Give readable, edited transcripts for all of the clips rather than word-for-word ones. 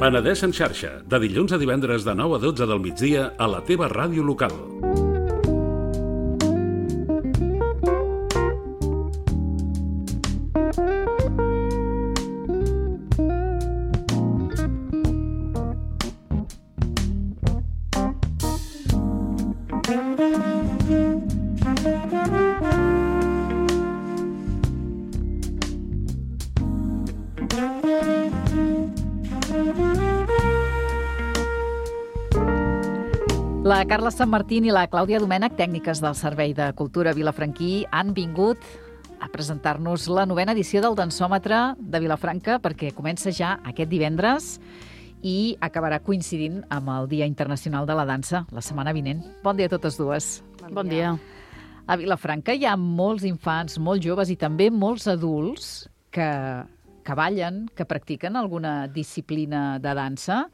Penedès en xarxa, de dilluns a divendres de 9 a 12 del migdia a la teva ràdio local. La Carla Sanmartín i la Clàudia Domènech, tècniques del Servei de Cultura Vilafranquí, han vingut a presentar-nos la 9a edició del Dansòmetre de Vilafranca, perquè comença ja aquest divendres i acabarà coincidint amb el Dia Internacional de la Dansa, la setmana vinent. Bon dia a totes dues. Bon dia. A Vilafranca hi ha molts infants, molts joves i també molts adults que ballen, que practiquen alguna disciplina de dansa.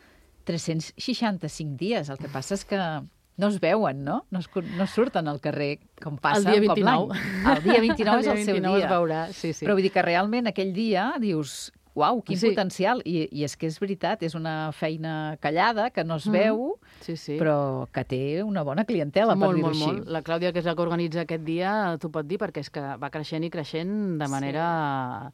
365 dies. El que passa és que no es veuen, no? No surten al carrer com passa el dia un cop 29. l'any. El dia 29 és el seu dia. Es veurà, sí. Però vull dir que realment aquell dia dius, uau, quin potencial. I és que és veritat, és una feina callada, que no es veu, però que té una bona clientela, per dir-ho així. Molt. La Clàudia, que és la que organitza aquest dia, t'ho pot dir, perquè és que va creixent i creixent de manera...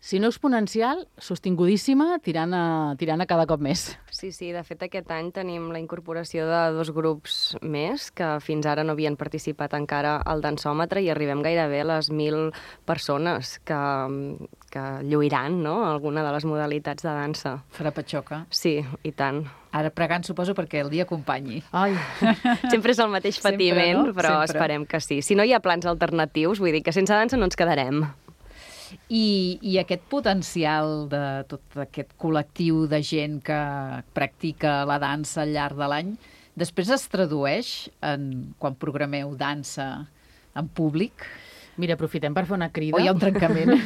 Si no exponencial, sostingudíssima, tirant a cada cop més. Sí, de fet aquest any tenim la incorporació de 2 grups més que fins ara no havien participat encara al dansòmetre i arribem gairebé a les 1.000 persones que lluiran, no?, alguna de les modalitats de dansa. Farà patxoca. Sí, i tant. Ara pregant, suposo, perquè el dia acompanyi. Ai. Sempre és el mateix patiment, no? Però sempre. Esperem que sí. Si no hi ha plans alternatius, vull dir que sense dansa no ens quedarem. I aquest potencial de tot aquest col·lectiu de gent que practica la dansa al llarg de l'any, després es tradueix quan programeu dansa en públic? Mira, aprofitem per fer una crida. O hi ha un trencament?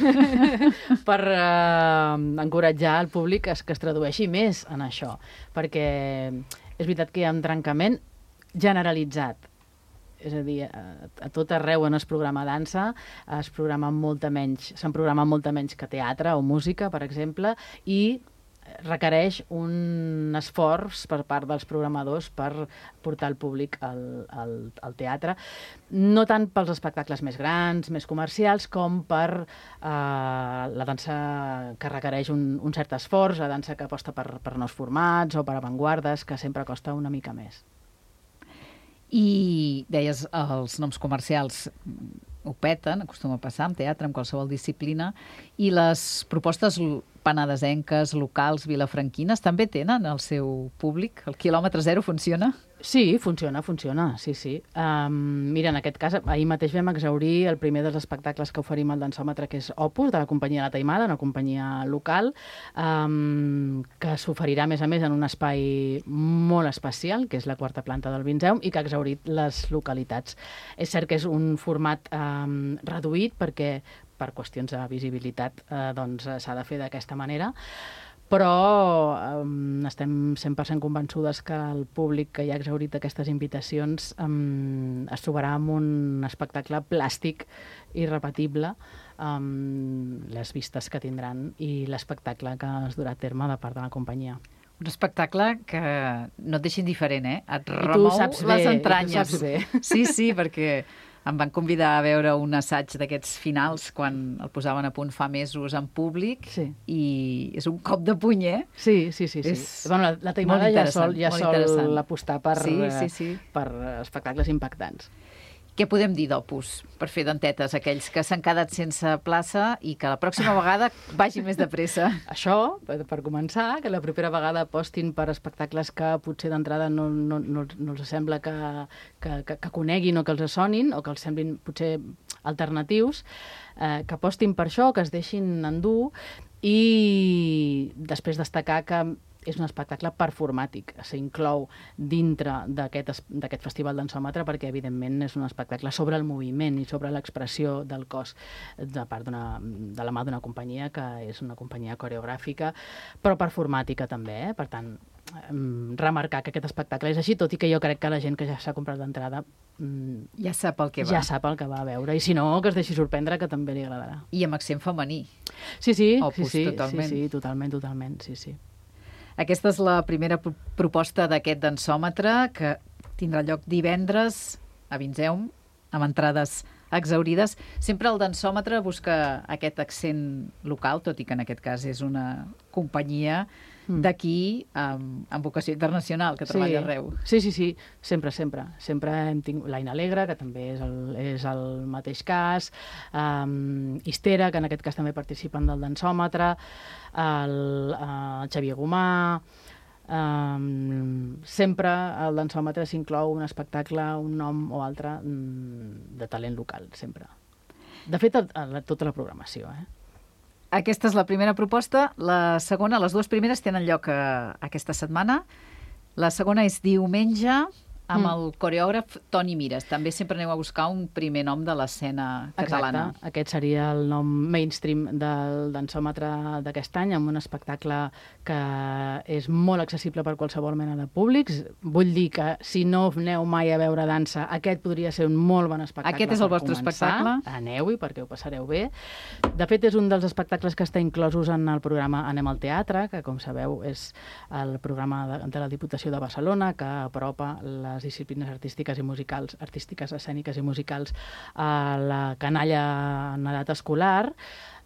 Per encoratjar el públic que es tradueixi més en això. Perquè és veritat que hi ha un trencament generalitzat. És a dir, a tot arreu on es programa dansa se'n programa molta menys que teatre o música, per exemple, i requereix un esforç per part dels programadors per portar el públic al teatre, no tant pels espectacles més grans, més comercials, com per la dansa que requereix un cert esforç, la dansa que aposta per nous formats o per avantguardes, que sempre costa una mica més. I deies, els noms comercials ho peten, acostuma a passar en teatre, en qualsevol disciplina, i les propostes penedesenques, locals, vilafranquines, també tenen el seu públic? El quilòmetre zero funciona? Sí, funciona, sí. Mira, en aquest cas, ahir mateix vam exhaurir el primer dels espectacles que oferim al dansòmetre, que és Opus, de la companyia La Taimada, una companyia local, que s'oferirà, a més, en un espai molt especial, que és la 4ª planta del Vinzeum, i que ha exhaurit les localitats. És cert que és un format reduït, perquè per qüestions de visibilitat s'ha de fer d'aquesta manera, però estem 100% convençudes que el públic que ja ha exhaurit aquestes invitacions es trobarà amb un espectacle plàstic i repetible, les vistes que tindran i l'espectacle que es durà a terme de part de la companyia. Un espectacle que no et deixa indiferent, Et remou les entranyes. I tu saps bé. Sí, perquè em van convidar a veure un assaig d'aquests finals quan el posaven a punt fa mesos en públic, i és un cop de puny, Sí. Bueno, la Taimada ja sol apostar per espectacles impactants. Què podem dir d'Opus, per fer dentetes aquells que s'han quedat sense plaça i que la pròxima vegada vagi més de pressa? Això, per començar, que la propera vegada apostin per espectacles que potser d'entrada no els sembla que coneguin o que els sonin o que els semblin potser alternatius, que apostin per això, que es deixin endur, i després destacar que és un espectacle performàtic, s'inclou dintre d'aquest festival dansòmetre perquè, evidentment, és un espectacle sobre el moviment i sobre l'expressió del cos de la mà d'una companyia que és una companyia coreogràfica, però performàtica també, Per tant, remarcar que aquest espectacle és així, tot i que jo crec que la gent que ja s'ha comprat l'entrada ja sap el que va. Ja sap el que va a veure, i si no, que es deixi sorprendre, que també li agradarà. I amb accent femení. Sí, Opus, totalment. Sí, totalment, sí. Aquesta és la primera proposta d'aquest dansòmetre, que tindrà lloc divendres a Vinzeum, amb entrades exhaurides. Sempre el dansòmetre busca aquest accent local, tot i que en aquest cas és una companyia d'aquí amb vocació internacional, que treballa arreu. Sí, sempre. Sempre hem tingut l'Aina Alegre, que també és el mateix cas, Istera, que en aquest cas també participen del dansòmetre, el Xavier Gomà. Sempre al dansòmetre s'inclou un espectacle, un nom o altre de talent local, sempre. De fet, tota la programació, Aquesta és la primera proposta. La segona, les dues primeres tenen lloc aquesta setmana. La segona és diumenge, amb el coreògraf Toni Mires. També sempre aneu a buscar un primer nom de l'escena catalana. Exacte. Aquest seria el nom mainstream del dansòmetre d'aquest any, amb un espectacle que és molt accessible per qualsevol mena de públics. Vull dir que si no aneu mai a veure dansa, aquest podria ser un molt bon espectacle. Aquest és el vostre espectacle? Aneu-hi perquè ho passareu bé. De fet, és un dels espectacles que està inclosos en el programa Anem al Teatre, que, com sabeu, és el programa de la Diputació de Barcelona, que apropa les disciplines artístiques i musicals, artístiques, escèniques i musicals a la canalla en edat escolar.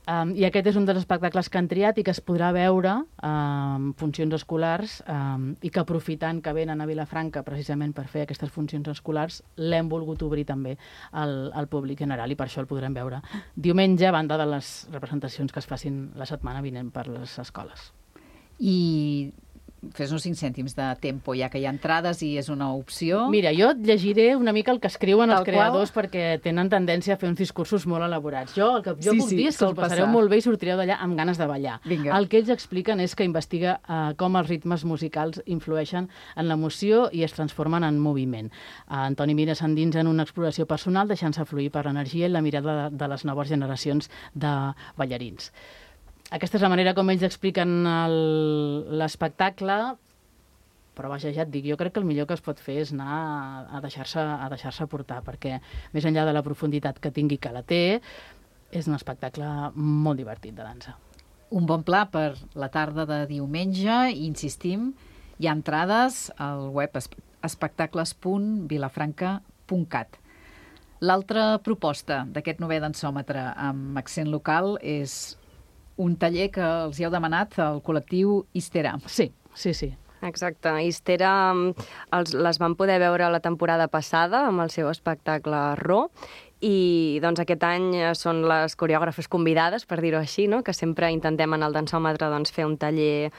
I aquest és un dels espectacles que han triat i que es podrà veure en funcions escolars i que, aprofitant que venen a Vilafranca precisament per fer aquestes funcions escolars, l'hem volgut obrir també al públic general i per això el podrem veure diumenge, a banda de les representacions que es facin la setmana vinent per les escoles. I fes-nos 5 cèntims de tempo, ja que hi ha entrades i és una opció. Mira, jo et llegiré una mica el que escriuen els creadors perquè tenen tendència a fer uns discursos molt elaborats. El que jo puc dir és que us passareu molt bé i sortireu d'allà amb ganes de ballar. Vinga. El que ells expliquen és que investiga com els ritmes musicals influeixen en l'emoció i es transformen en moviment. Toni Mires s'endinsa en una exploració personal, deixant-se fluir per l'energia i la mirada de les noves generacions de ballarins. Aquesta és la manera com ells expliquen l'espectacle, però vaja, ja et dic, jo crec que el millor que es pot fer és anar a deixar-se portar, perquè més enllà de la profunditat que tingui, que la té, és un espectacle molt divertit de dansa. Un bon pla per la tarda de diumenge, insistim, hi ha entrades al web espectacles.vilafranca.cat. L'altra proposta d'aquest novè dansòmetre amb accent local és un taller que els hi heu demanat al col·lectiu Istera. Sí. Exacte. Istera les van poder veure la temporada passada amb el seu espectacle Ro, i doncs aquest any són les coreògrafes convidades, per dir-ho així, no? Que sempre intentem en el dansòmetre fer un taller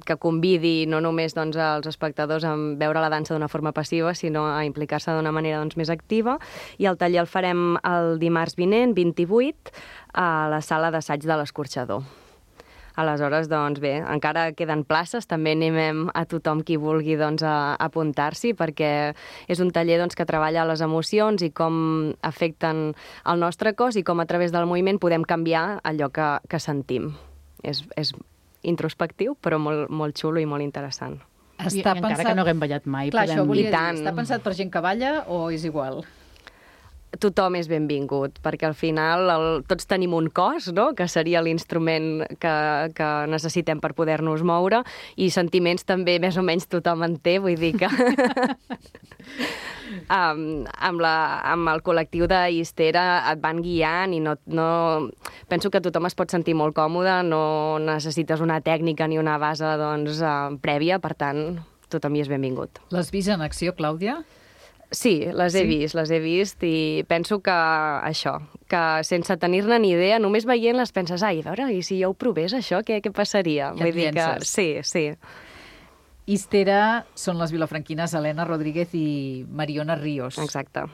que convidi no només als espectadors a veure la dansa d'una forma passiva, sinó a implicar-se d'una manera més activa. I el taller el farem el dimarts vinent, 28, a la sala d'assaig de l'Escorxador. Aleshores, bé, encara queden places, també animem a tothom qui vulgui apuntar-s'hi, perquè és un taller que treballa les emocions i com afecten el nostre cos i com a través del moviment podem canviar allò que sentim. És introspectiu, però molt xulo i molt interessant. Encara que no haguem ballat mai. Clar, això volia dir, està pensat per gent que balla o és igual? Tothom és benvingut, perquè al final tots tenim un cos, no? Que seria l'instrument que necessitem per poder-nos moure, i sentiments també més o menys tothom en té, vull dir que amb el col·lectiu d'Istera et van guiant i no penso que tothom es pot sentir molt còmode, no necessites una tècnica ni una base prèvia, per tant, tothom hi és benvingut. L'has vist en acció, Clàudia? Sí, les he vist i penso que això, que sense tenir-ne ni idea, només veient-les penses, a veure, i si jo ho provés això, què passaria? Ja et llences. Sí. Istera són les vilafranquines Helena Rodríguez i Mariona Ríos. Exacte.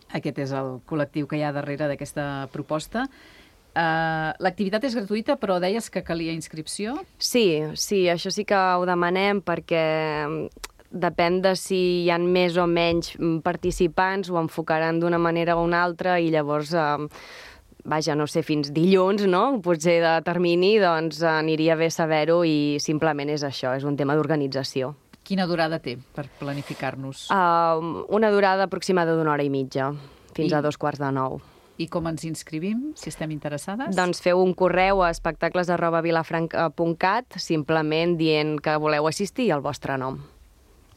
Aquest és el col·lectiu que hi ha darrere d'aquesta proposta. L'activitat és gratuïta, però deies que calia inscripció? Sí, això sí que ho demanem perquè depèn de si hi ha més o menys participants, ho enfocaran d'una manera o una altra i llavors, no sé, fins dilluns, no? Potser de termini, aniria bé saber-ho i simplement és això, és un tema d'organització. Quina durada té per planificar-nos? Una durada aproximada d'1 hora i mitja, fins a 8:45. I com ens inscrivim, si estem interessades? Doncs feu un correu a espectacles@vilafranca.cat, simplement dient que voleu assistir i el vostre nom.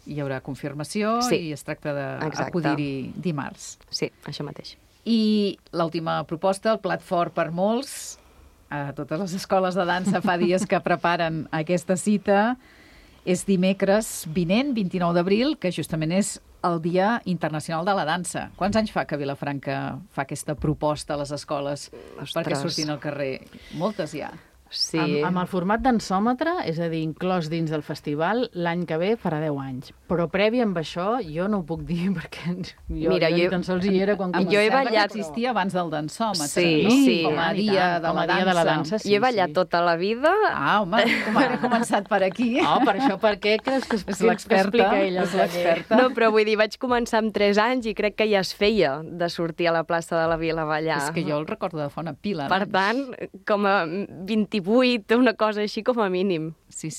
Hi haurà confirmació i es tracta d'acudir-hi dimarts. Sí, això mateix. I l'última proposta, el plat fort per molts. A totes les escoles de dansa fa dies que preparen aquesta cita. És dimecres vinent, 29 d'abril, que justament és el Dia Internacional de la Dansa. Quants anys fa que Vilafranca fa aquesta proposta a les escoles perquè surtin al carrer? Moltes ja. Sí. Amb el format dansòmetre, és a dir, inclòs dins del festival, l'any que ve farà 10 anys. Però previ amb això jo no ho puc dir perquè jo ni tan sols hi era quan començava. Jo he ballat... Existia abans del dansòmetre, sí, no? Sí. Com a dia de la dansa. Jo he ballat tota la vida. Ah, home, com ara he començat per aquí. Oh, per això, per què creus que és l'experta? És l'experta. No, però vull dir, vaig començar amb 3 anys i crec que ja es feia de sortir a la plaça de la Vila a ballar. És que jo el recordo de fa una pila. Per tant, com a 28, una cosa així com a mínim. Sí.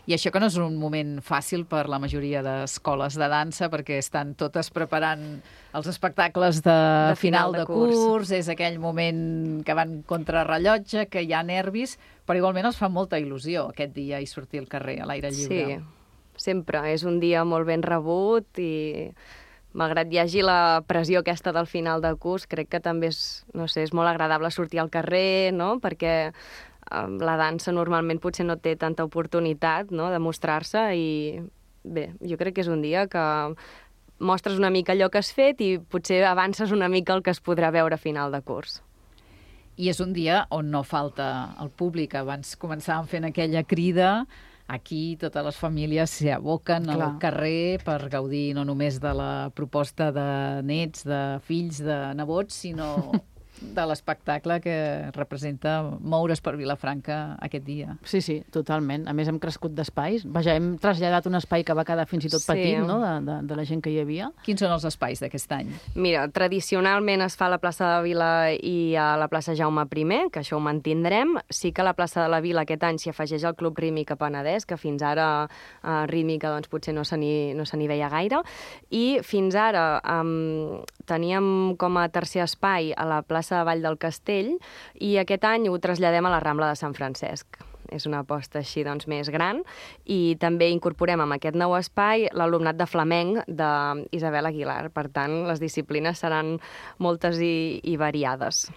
I això que no és un moment fàcil per la majoria d'escoles de dansa, perquè estan totes preparant els espectacles de final de curs, és aquell moment que van contrarrellotge, que hi ha nervis, però igualment els fa molta il·lusió aquest dia i sortir al carrer, a l'aire lliure. Sí, sempre. És un dia molt ben rebut i malgrat hi hagi la pressió aquesta del final de curs, crec que també és molt agradable sortir al carrer, no? Perquè la dansa normalment potser no té tanta oportunitat, no?, de mostrar-se i bé, jo crec que és un dia que mostres una mica allò que has fet i potser avances una mica el que es podrà veure a final de curs. I és un dia on no falta el públic. Abans començàvem fent aquella crida. Aquí totes les famílies s'hi aboquen al carrer per gaudir no només de la proposta de nets, de fills, de nebots, sinó de l'espectacle que representa moure's per Vilafranca aquest dia. Sí, totalment. A més, hem crescut d'espais. Vaja, hem traslladat un espai que va quedar fins i tot petit, no?, de la gent que hi havia. Quins són els espais d'aquest any? Mira, tradicionalment es fa a la plaça de la Vila i a la plaça Jaume I, que això ho mantindrem. Sí que a la plaça de la Vila aquest any s'hi afegeix el Club Rítmica Penedès, que fins ara rítmica doncs, potser no se n'hi veia gaire. I fins ara teníem com a tercer espai a la plaça de Vall del Castell i aquest any ho traslladem a la Rambla de Sant Francesc. És una aposta així doncs, més gran i també incorporem en aquest nou espai l'alumnat de flamenc d'Isabel Aguilar. Per tant, les disciplines seran moltes i variades.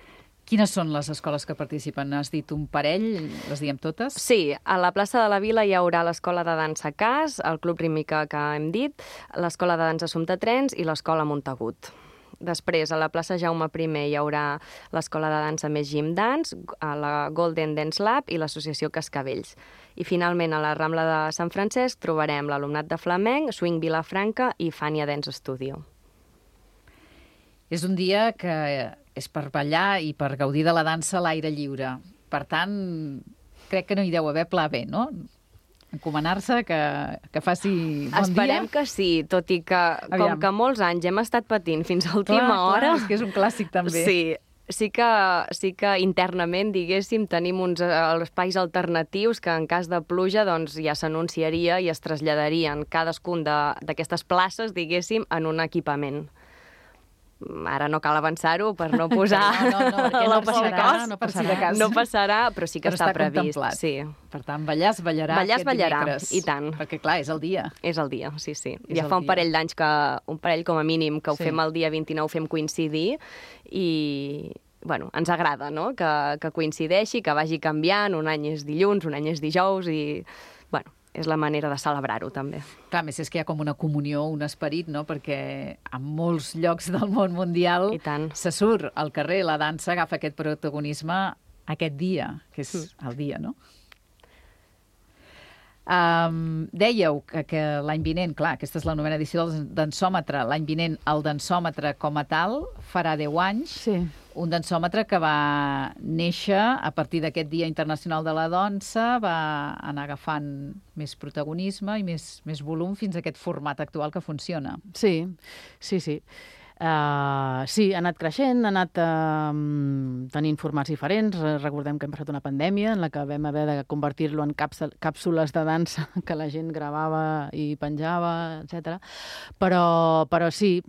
Quines són les escoles que participen? Has dit un parell, les diem totes? Sí, a la plaça de la Vila hi haurà l'Escola de Dansa CAS, el Club Rítmica que hem dit, l'Escola de Dansa Somtatrens i l'Escola Montagut. Després, a la plaça Jaume I hi haurà l'Escola de Dansa Més Gym Dance, la Golden Dance Lab i l'Associació Cascavells. I finalment, a la Rambla de Sant Francesc trobarem l'alumnat de flamenc, Swing Vilafranca i Fania Dance Studio. És un dia que és per ballar i per gaudir de la dansa a l'aire lliure. Per tant, crec que no hi deu haver pla B, no? Encomanar-se, que faci bon dia. Esperem que sí, tot i que, com que molts anys hem estat patint fins a última hora... És que és un clàssic, també. Sí que internament, diguéssim, tenim uns espais alternatius que en cas de pluja doncs, ja s'anunciaria i es traslladarien cadascun d'aquestes places, diguéssim, en un equipament. Ara no cal avançar-ho per no posar no passarà, però sí que està previst. Sí. Per tant, ballar es ballarà aquest dimecres. I tant. Perquè, clar, és el dia. És el dia, sí. Ja fa un parell d'anys, un parell com a mínim, que ho fem el dia 29, fem coincidir i... Bueno, ens agrada, no?, que coincideixi, que vagi canviant, un any és dilluns, un any és dijous i... Bueno, és la manera de celebrar-ho, també. Clar, més és que hi ha com una comunió, un esperit, no?, perquè en molts llocs del món mundial se surt al carrer, la dansa agafa aquest protagonisme aquest dia, que és el dia, no? Dèieu que l'any vinent, clar, aquesta és la 9ª edició del dansòmetre, l'any vinent el dansòmetre com a tal farà 10 anys, un dansòmetre que va néixer a partir d'aquest Dia Internacional de la Dansa, va anar agafant més protagonisme i més volum fins a aquest format actual que funciona. Sí. Sí, ha anat creixent, ha anat tenint formats diferents. Recordem que hem passat una pandèmia en la que vam haver de convertir-lo en càpsules de dansa que la gent gravava i penjava, etc. Però sí,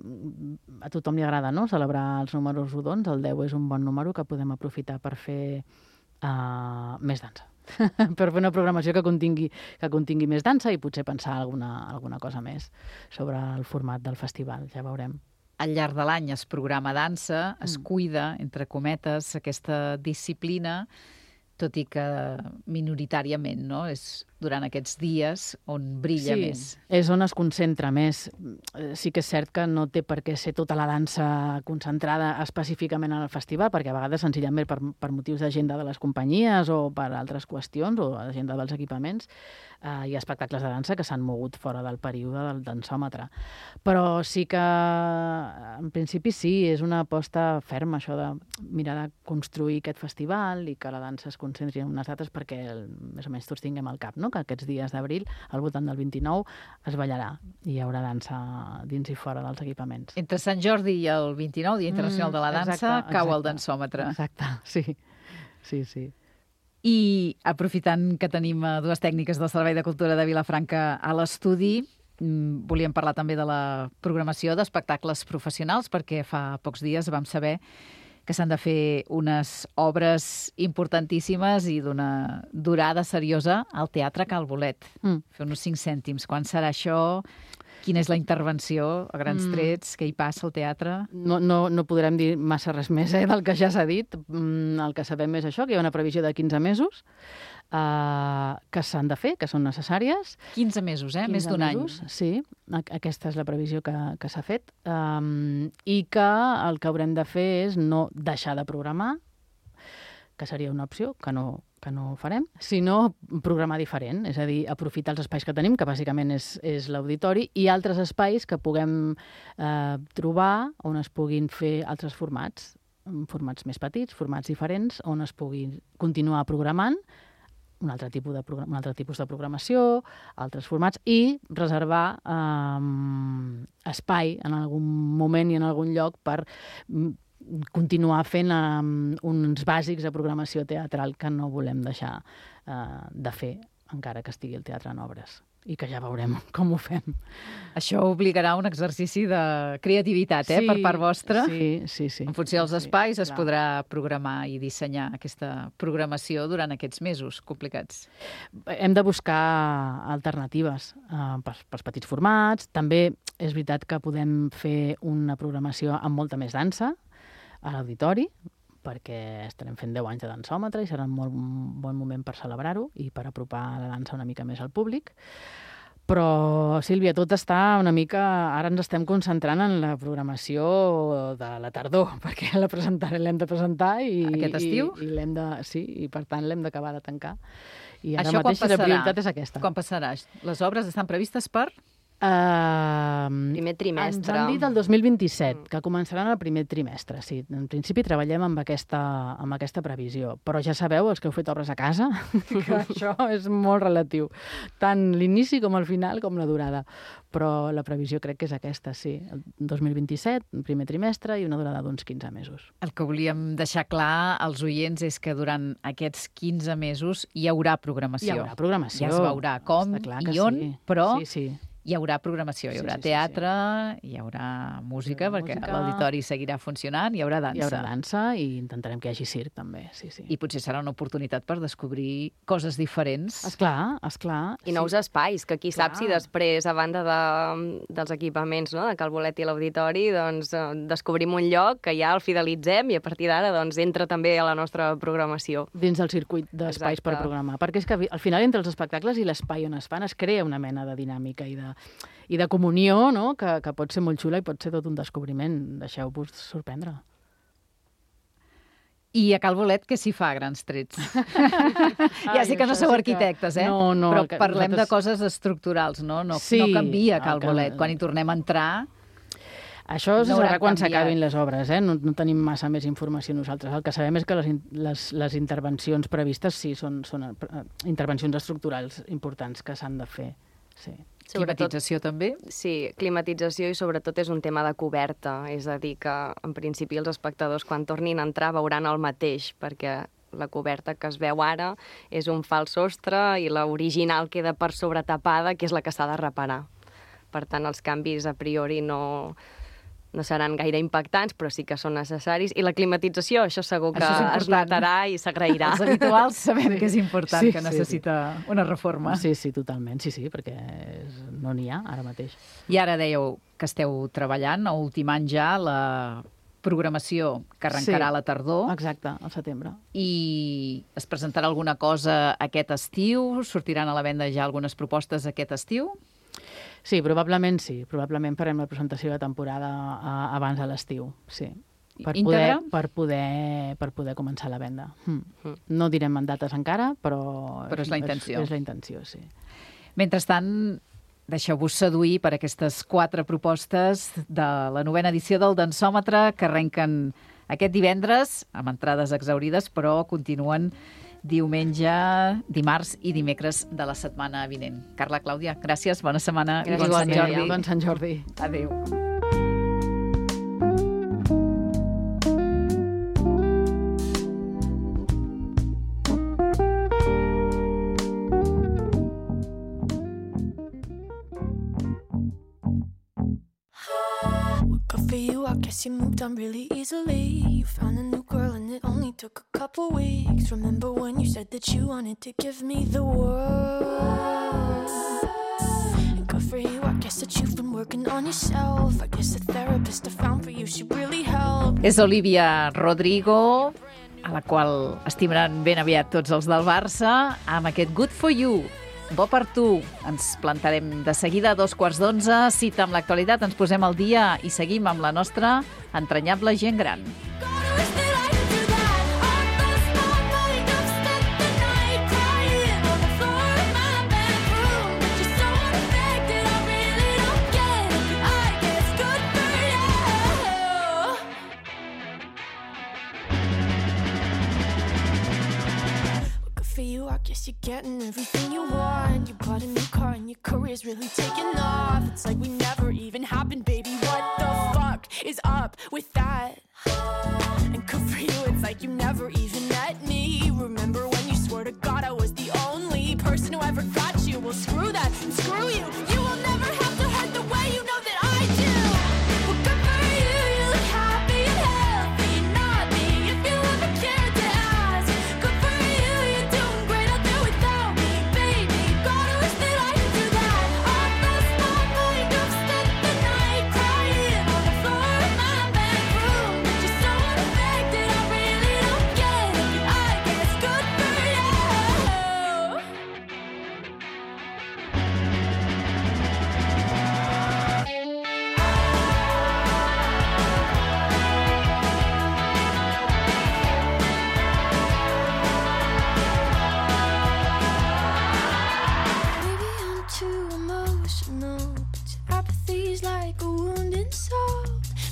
a tothom li agrada, no?, celebrar els números rodons. El 10 és un bon número que podem aprofitar per fer més dansa. Per fer una programació que contingui més dansa i potser pensar alguna cosa més sobre el format del festival, ja veurem. Al llarg de l'any es programa dansa, es cuida, entre cometes, aquesta disciplina, tot i que minoritàriament, no? És durant aquests dies on brilla més. Sí, és on es concentra més. Sí que és cert que no té per què ser tota la dansa concentrada específicament en el festival, perquè a vegades senzillament per motius d'agenda de les companyies o per altres qüestions o agenda dels equipaments hi ha espectacles de dansa que s'han mogut fora del període del dansòmetre. Però sí que, en principi, sí, és una aposta ferma, això de mirar de construir aquest festival i que la dansa es concentri en unes dates perquè més o menys tots tinguem al cap, no?, que aquests dies d'abril, al voltant del 29, es ballarà i hi haurà dansa dins i fora dels equipaments. Entre Sant Jordi i el 29, Dia Internacional de la Dansa, cau el dansòmetre. Exacte, sí. I aprofitant que tenim dues tècniques del Servei de Cultura de Vilafranca a l'estudi, volíem parlar també de la programació d'espectacles professionals, perquè fa pocs dies vam saber que s'han de fer unes obres importantíssimes i d'una durada seriosa al Teatre Cal Bolet. Fer uns 5 cèntims. Quan serà això? Quina és la intervenció, a grans trets? Què hi passa al teatre? No podrem dir massa res més del que ja s'ha dit. El que sabem és això, que hi ha una previsió de 15 mesos que s'han de fer, que són necessàries. 15 mesos, més d'un any. Sí, aquesta és la previsió que s'ha fet. I que el que haurem de fer és no deixar de programar, que seria una opció, que no farem, sinó programar diferent, és a dir, aprofitar els espais que tenim, que bàsicament és l'auditori, i altres espais que puguem trobar on es puguin fer altres formats més petits, formats diferents, on es pugui continuar programant un altre tipus de programació, altres formats, i reservar espai en algun moment i en algun lloc per continuar fent uns bàsics de programació teatral que no volem deixar de fer, encara que estigui el teatre en obres. I que ja veurem com ho fem. Això obligarà un exercici de creativitat, per part vostra. Sí. En funció dels espais es podrà programar i dissenyar aquesta programació durant aquests mesos complicats. Hem de buscar alternatives pels petits formats. També és veritat que podem fer una programació amb molta més dansa a l'auditori, perquè estarem fent 10 anys de dansòmetre i serà un molt bon moment per celebrar-ho i per apropar la dansa una mica més al públic. Però, Sílvia, tot està una mica... Ara ens estem concentrant en la programació de la tardor, perquè l'hem de presentar i... Aquest estiu? I per tant l'hem d'acabar de tancar. I ara això mateix la prioritat és aquesta. Quan passarà? Les obres estan previstes per... Primer trimestre. Ens han dit el 2027, que començaran el primer trimestre. Sí, en principi treballem amb aquesta previsió. Però ja sabeu, els que heu fet obres a casa, que això és molt relatiu. Tant l'inici com el final, com la durada. Però la previsió crec que és aquesta, sí. El 2027, el primer trimestre, i una durada d'uns 15 mesos. El que volíem deixar clar als oients és que durant aquests 15 mesos hi haurà programació. Hi haurà programació. Ja es veurà com i on, però... Sí. Hi haurà programació, hi haurà teatre, hi haurà música, perquè l'auditori seguirà funcionant, hi haurà dansa. Hi haurà dansa i intentarem que hi hagi circ, també, sí. I potser serà una oportunitat per descobrir coses diferents. Esclar. I nous espais, que qui sap si després, a banda dels equipaments, no?, de Cal Bolet i l'auditori, doncs descobrim un lloc que ja el fidelitzem i a partir d'ara doncs entra també a la nostra programació. Dins del circuit d'espais per programar. Perquè és que al final entre els espectacles i l'espai on es fan es crea una mena de dinàmica i de comunió, no?, que pot ser molt xula i pot ser tot un descobriment. Deixeu-vos sorprendre. I a Cal Bolet què s'hi fa a grans trets? Ja sé que no sou arquitectes, No, però parlem de coses estructurals, no? No canvia Cal Bolet. Quan hi tornem a entrar... Això es veurà quan s'acabin les obres, no tenim massa més informació nosaltres. El que sabem és que les intervencions previstes sí són intervencions estructurals importants que s'han de fer. Sí. Climatització també? Sí, climatització i sobretot és un tema de coberta, és a dir, que en principi els espectadors quan tornin a entrar veuran el mateix, perquè la coberta que es veu ara és un fals sostre i l'original queda per sobre tapada, que és la que s'ha de reparar. Per tant, els canvis a priori no seran gaire impactants, però sí que són necessaris. I la climatització, això segur que es notarà i s'agrairà. Els habituals sabem que és important, que necessita una reforma. Sí, totalment, sí, perquè no n'hi ha ara mateix. I ara dèieu que esteu treballant, a ultimant ja la programació que arrencarà a la tardor. Exacte, al setembre. I es presentarà alguna cosa aquest estiu? Sortiran a la venda ja algunes propostes aquest estiu? Sí. Probablement farem la presentació de temporada abans de l'estiu, sí. Per poder començar la venda. No direm en dates encara, però és la intenció. És la intenció, sí. Mentrestant, deixeu-vos seduir per aquestes 4 propostes de la 9a edició del Dansòmetre, que arrenquen aquest divendres, amb entrades exhaurides, però continuen diumenge, dimarts i dimecres de la setmana vinent. Carla, Clàudia, gràcies, bona setmana i bon Sant Jordi. Bon Sant Jordi. Adéu. Good for you, I guess you moved on really easily. You found a new girl and it only took a couple weeks. Remember when you said that you wanted to give me the world? And good for you, I guess that you've been working on yourself. I guess the therapist I found for you should really help. És Olivia Rodrigo, a la qual estimaran ben aviat tots els del Barça, amb aquest Good for You. Bo per tu. Ens plantarem de seguida a 11:15. Cita amb l'actualitat, ens posem al dia i seguim amb la nostra entranyable gent gran. You're getting everything you want. You bought a new car and your career's really taking off. It's like we never even happened, baby. What the fuck is up with that? And good for you, it's like you never even met me. Remember when you swore to God I was the only person who ever got you? Well, screw that and screw you. You will never have to hurt the way you know that I do. Well, good for you, you look happy and healthy. Not me, if you ever cared to ask. Good for you, you're doing great out there without me, baby. God, I wish that I could do that. I lost my mind, I've spent the night crying on the floor of my bedroom. But you're so unaffected, I really don't get it. But I guess good for you. Maybe I'm too emotional, but your apathy's like a wounded soul.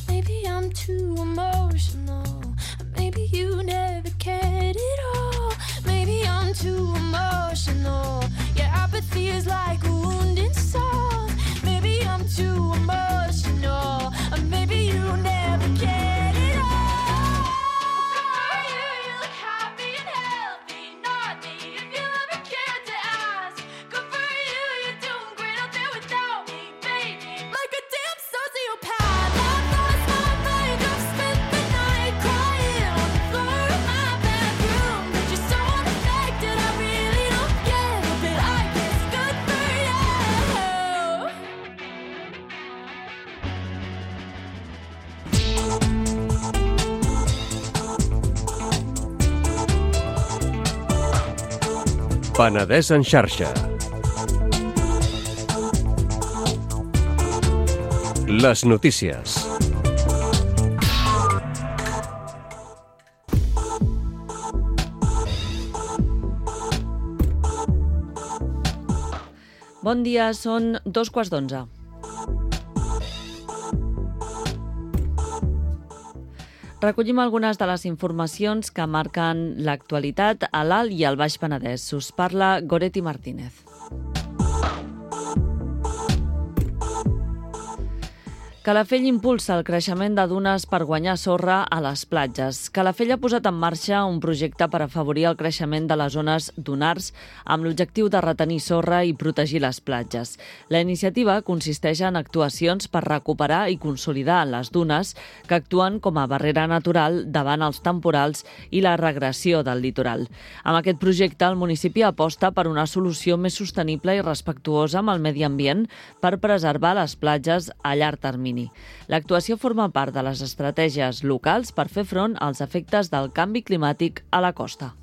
Maybe I'm too emotional, maybe you never cared at all. Maybe I'm too emotional, your apathy is like a wounded soul. Maybe I'm too emotional, maybe you never cared at all. You look happy and healthy, not me, if you ever cared to ask. Good for you, you're doing great out there without me, baby. Like a damn sociopath, I've lost my mind, I've spent the night crying on the floor of my bedroom. But you're so unaffected, I really don't get it, but I guess good for you. Penedès en xarxa. Les notícies. Bon dia, són 11:15. Recollim algunes de les informacions que marquen l'actualitat a l'Alt i al Baix Penedès. Us parla Goretti Martínez. Calafell impulsa el creixement de dunes per guanyar sorra a les platges. Calafell ha posat en marxa un projecte per afavorir el creixement de les zones dunars amb l'objectiu de retenir sorra i protegir les platges. La iniciativa consisteix en actuacions per recuperar i consolidar les dunes que actuen com a barrera natural davant els temporals i la regressió del litoral. Amb aquest projecte, el municipi aposta per una solució més sostenible i respectuosa amb el medi ambient per preservar les platges a llarg termini. L'actuació forma part de les estratègies locals per fer front als efectes del canvi climàtic a la costa.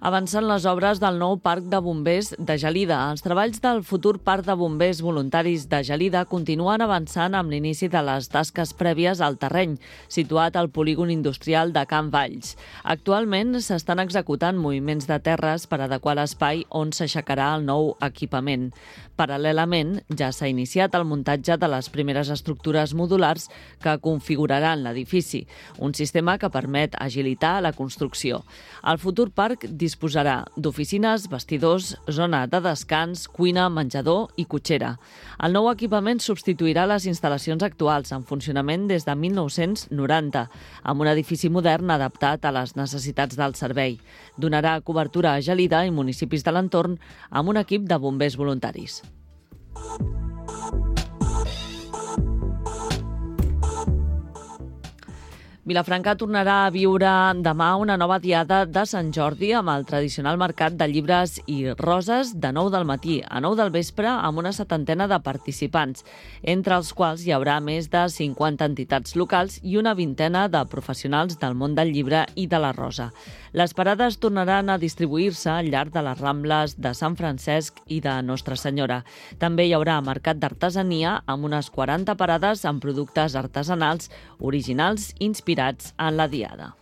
Avancen les obres del nou Parc de Bombers de Gelida. Els treballs del futur Parc de Bombers Voluntaris de Gelida continuen avançant amb l'inici de les tasques prèvies al terreny, situat al polígon industrial de Can Valls. Actualment s'estan executant moviments de terres per adequar l'espai on s'aixecarà el nou equipament. Paral·lelament, ja s'ha iniciat el muntatge de les primeres estructures modulars que configuraran l'edifici, un sistema que permet agilitar la construcció. El futur parc disposarà d'oficines, vestidors, zona de descans, cuina, menjador i cotxera. El nou equipament substituirà les instal·lacions actuals en funcionament des de 1990, amb un edifici modern adaptat a les necessitats del servei. Donarà cobertura a Gelida i municipis de l'entorn amb un equip de bombers voluntaris. Vilafranca tornarà a viure demà una nova diada de Sant Jordi amb el tradicional mercat de llibres i roses de 9 del matí a 9 del vespre amb una 70ena de participants, entre els quals hi haurà més de 50 entitats locals i una 20ena de professionals del món del llibre i de la rosa. Les parades tornaran a distribuir-se al llarg de les Rambles de Sant Francesc i de Nostra Senyora. També hi haurà mercat d'artesania amb unes 40 parades amb productes artesanals originals inspirats en la diada.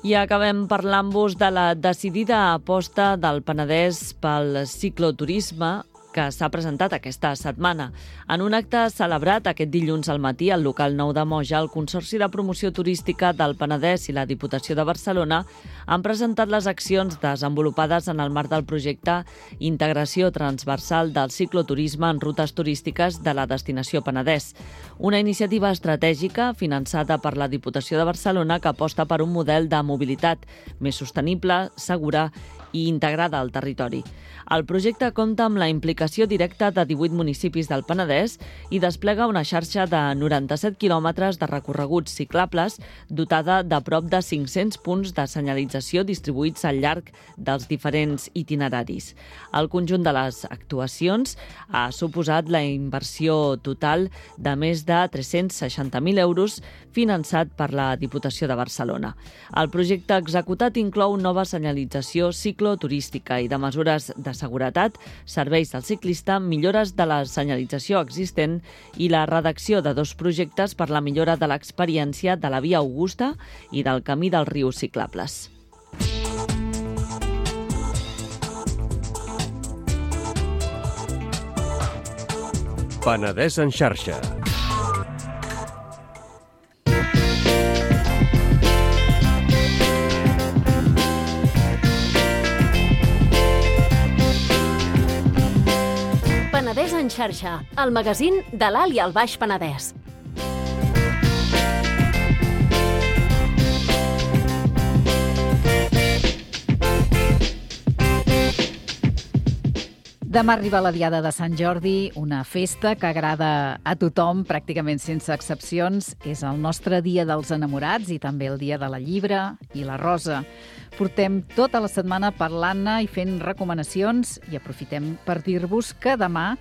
I acabem parlant-vos de la decidida aposta del Penedès pel cicloturisme que s'ha presentat aquesta setmana. En un acte celebrat aquest dilluns al matí al local 9 de Moja, el Consorci de Promoció Turística del Penedès i la Diputació de Barcelona han presentat les accions desenvolupades en el marc del projecte Integració Transversal del Cicloturisme en Rutes Turístiques de la Destinació Penedès, una iniciativa estratègica finançada per la Diputació de Barcelona que aposta per un model de mobilitat més sostenible, segura i integrada al territori. El projecte compta amb la implicació directa de 18 municipis del Penedès i desplega una xarxa de 97 quilòmetres de recorreguts ciclables dotada de prop de 500 punts de senyalització distribuïts al llarg dels diferents itineraris. El conjunt de les actuacions ha suposat la inversió total de més de 360.000 euros finançat per la Diputació de Barcelona. El projecte executat inclou nova senyalització cicloturística i de mesures de seguretat, serveis del ciclista, millores de la senyalització existent i la redacció de 2 projectes per la millora de l'experiència de la Via Augusta i del Camí del Riu Ciclables. Penedès en xarxa. Penedès en xarxa, el magazín de l'Alt i el Baix Penedès. Demà arriba la Diada de Sant Jordi, una festa que agrada a tothom, pràcticament sense excepcions. És el nostre dia dels enamorats i també el dia de la llibre i la rosa. Portem tota la setmana parlant-ne i fent recomanacions i aprofitem per dir-vos que demà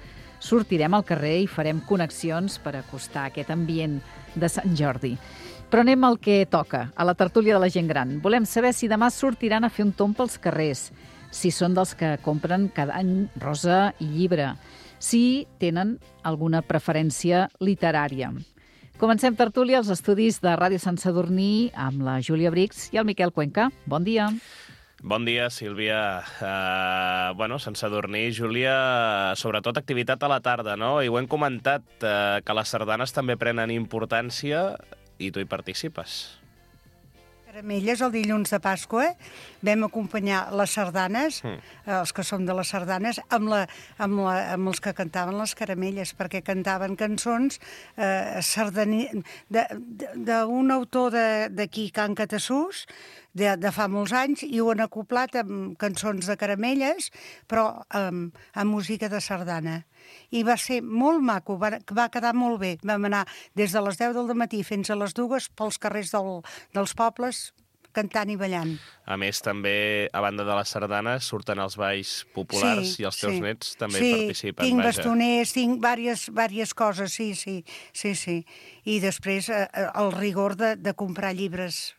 sortirem al carrer i farem connexions per acostar aquest ambient de Sant Jordi. Però anem al que toca, a la tertúlia de la gent gran. Volem saber si demà sortiran a fer un tomb pels carrers, si són dels que compren cada any rosa i llibre, si tenen alguna preferència literària. Comencem tertúlia als estudis de Ràdio Sant Sadurní amb la Júlia Brix i el Miquel Cuenca. Bon dia. Bon dia, Sílvia. Sant Sadurní, Júlia, sobretot activitat a la tarda, no? I ho hem comentat, que les sardanes també prenen importància i tu hi participes. Caramelles, el dilluns de Pasqua, vam acompanyar les sardanes, els que som de les sardanes, amb els que cantaven les caramelles, perquè cantaven cançons d'un autor d'aquí, Can Catassús, de fa molts anys, i ho han acoplat amb cançons de caramelles, però amb música de sardana. I va ser molt maco, va quedar molt bé. Vam anar des de les 10 del matí fins a les 2 pels carrers dels pobles, cantant i ballant. A més, també, a banda de les sardanes, surten els balls populars i els teus nets també participen. Sí, tinc bastoners, tinc diverses coses, sí. I després el rigor de comprar llibres,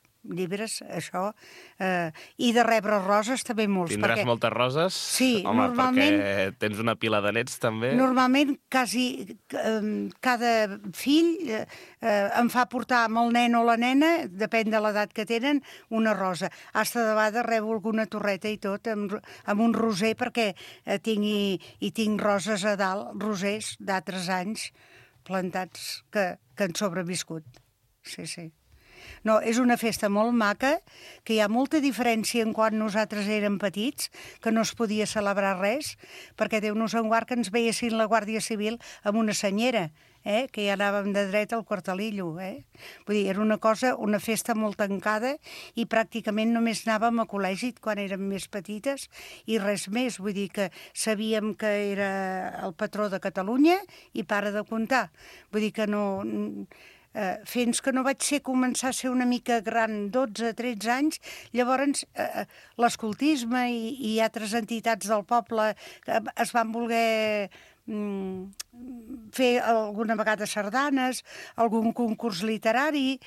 això, i de rebre roses també molts. Tindràs moltes roses? Sí, home, normalment... perquè tens una pila de nets, també. Normalment, quasi cada fill em fa portar amb el nen o la nena, depèn de l'edat que tenen, una rosa. Hasta de vegades rebo alguna torreta i tot, amb un roser, perquè tinc roses a dalt, rosers d'altres anys plantats que han sobreviscut. Sí. No, és una festa molt maca, que hi ha molta diferència en quan nosaltres érem petits, que no es podia celebrar res, perquè Déu-nos en guard que ens veiessin la Guàrdia Civil amb una senyera, que ja anàvem de dret al quartelillo. Vull dir, era una festa molt tancada i pràcticament només anàvem a col·legi quan érem més petites i res més. Vull dir que sabíem que era el patró de Catalunya i para de comptar. Vull dir que no... fins que no vaig començar a ser una mica gran, 12-13 anys, llavors l'escoltisme i altres entitats del poble es van voler fer alguna vegada sardanes, algun concurs literari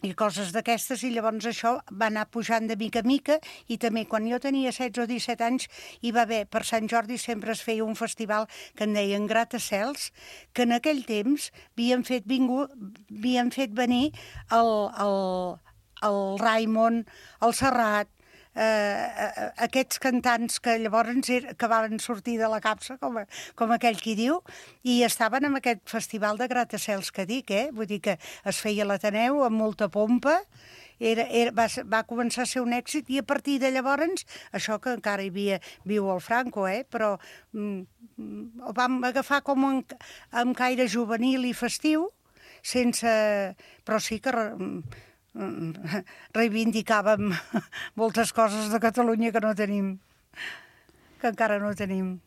i coses d'aquestes, i llavors això va anar pujant de mica a mica, i també quan jo tenia 16 o 17 anys hi va haver, per Sant Jordi sempre es feia un festival que en deien Gratacels, que en aquell temps havien fet venir el Raimon, el Serrat, aquests cantants que llavors acabaven sortir de la capsa, com aquell qui diu, i estaven en aquest festival de Gratacels que dic, vull dir que es feia a l'Ateneu amb molta pompa, va començar a ser un èxit, i a partir de llavors, això que encara viu el Franco, però ho vam agafar com amb caire juvenil i festiu, però sí que reivindicàvem moltes coses de Catalunya que no tenim, que encara no tenim.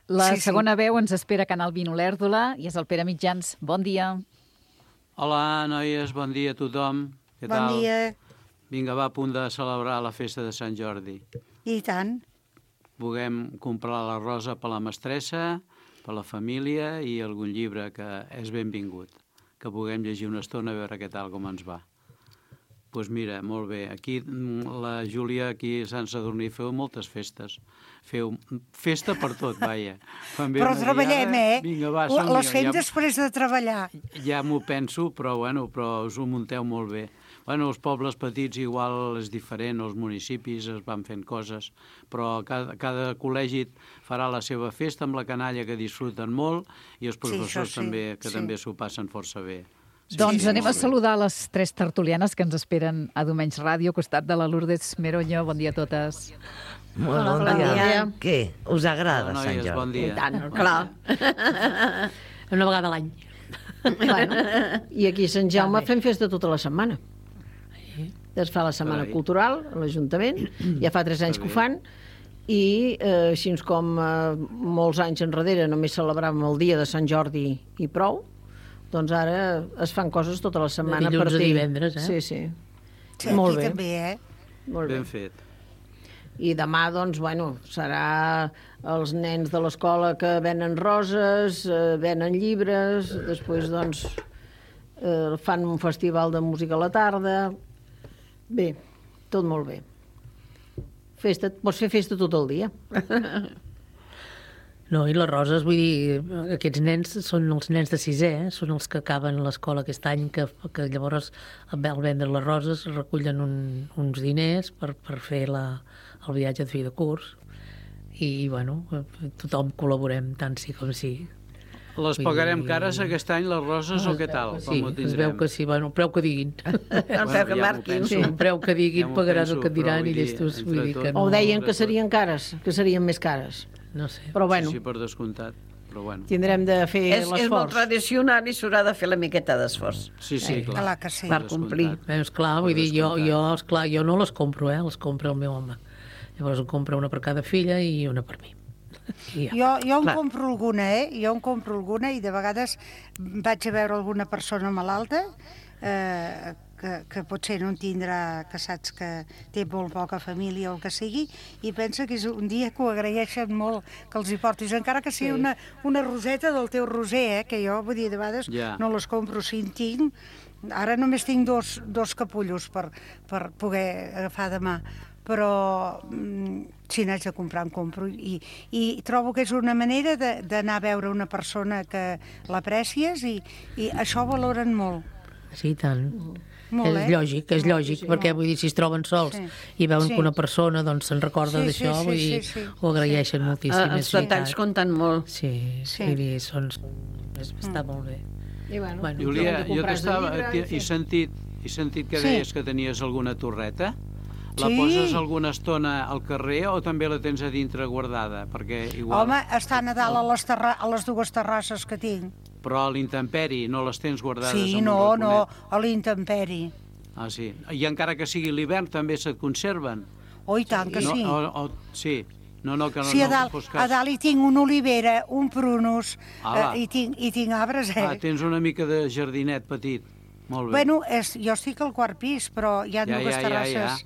La segona veu ens espera a Canal 20 Olèrdola i és el Pere Mitjans. Bon dia. Hola, noies, bon dia a tothom. Què tal? Bon dia. Vinga, va a punt de celebrar la festa de Sant Jordi. I tant. Puguem comprar la rosa per la mestressa, per la família i algun llibre que és benvingut. Que puguem llegir una estona a veure què tal, com ens va. Doncs mira, molt bé. Aquí, la Júlia, aquí a Sant Sadurní, feu moltes festes. Feu festa per tot, vaja. Però treballem, Vinga, va, les fem després de treballar. Ja m'ho penso, però us ho munteu molt bé. Els pobles petits igual és diferent, els municipis es van fent coses, però cada col·legi farà la seva festa amb la canalla, que disfruten molt, i els professors també, que també s'ho passen força bé. Doncs anem a saludar les 3 tertulianes que ens esperen a Domenys Ràdio, al costat de la Lourdes Meroño. Bon dia a totes. Molt bon dia. Què? Us agrada Sant Jordi? Bon dia. I tant, clar. Una vegada a l'any. I aquí a Sant Jaume fem festa tota la setmana. Es fa la Setmana Cultural a l'Ajuntament, ja fa 3 anys que ho fan, i així com molts anys enrere només celebràvem el dia de Sant Jordi i prou, doncs ara es fan coses tota la setmana. De dilluns a divendres, Sí. Molt bé. També, Molt bé. Ben fet. I demà, doncs, serà els nens de l'escola que venen roses, venen llibres, després, doncs, fan un festival de música a la tarda. Bé, tot molt bé. Pots fer festa tot el dia. No, i les roses, vull dir, aquests nens són els nens de 6è, són els que acaben l'escola aquest any, que llavors al vendre les roses recullen uns diners per fer el viatge de fi de curs. I, tothom col·laborem tant sí com sí. Les pagarem cares aquest any, les roses, o què tal? Sí, es veu que sí, bueno, el preu que diguin. El preu que marquin. Sí, el preu que diguin, pagaran el que et diran i llestos. Vull dir que no... O deien que serien cares, que serien més cares. No sé. Però bueno. Sí, per descomptat. Però bueno. Tindrem de fer l'esforç. És molt tradicional i s'haurà de fer la miqueta d'esforç. Sí, clar. Clar que sí. Per complir. Esclar, vull dir, jo no les compro, les compra el meu home. Llavors en compra una per cada filla i una per mi. Jo en compro alguna, Jo en compro alguna i de vegades vaig a veure alguna persona malalta que potser no en tindrà, que saps que té molt poca família o el que sigui, i pensa que és un dia que ho agraeixen molt que els hi portis, encara que sigui una roseta del teu roser, que jo, vull dir, de vegades no les compro si en tinc. Ara només tinc dos capullos per poder agafar demà, però si n'haig de comprar en compro, i trobo que és una manera d'anar a veure una persona que l'aprècies, i això ho valoren molt. Sí, tant. Molt, és lògic, perquè vull dir, si es troben sols i veuen que una persona se'n recorda d'això, vull dir, ho agraeixen moltíssim. Els detalls compten molt. Sí, vull dir, està molt bé. Júlia, jo he sentit que deies que tenies alguna torreta. La poses alguna estona al carrer o també la tens a dintre guardada? Home, estan a dalt a les dues terrasses que tinc. Però a l'intemperi no les tens guardades en un raconet? No, a l'intemperi. Ah, sí. I encara que sigui l'hivern també se't conserven? Oh, i tant que sí. Sí. No, que no, sí, a dalt hi tinc una olivera, un prunus, i tinc arbres, tens una mica de jardinet petit. Molt bé. Bueno, jo estic al quart pis, però hi ha dues terrasses,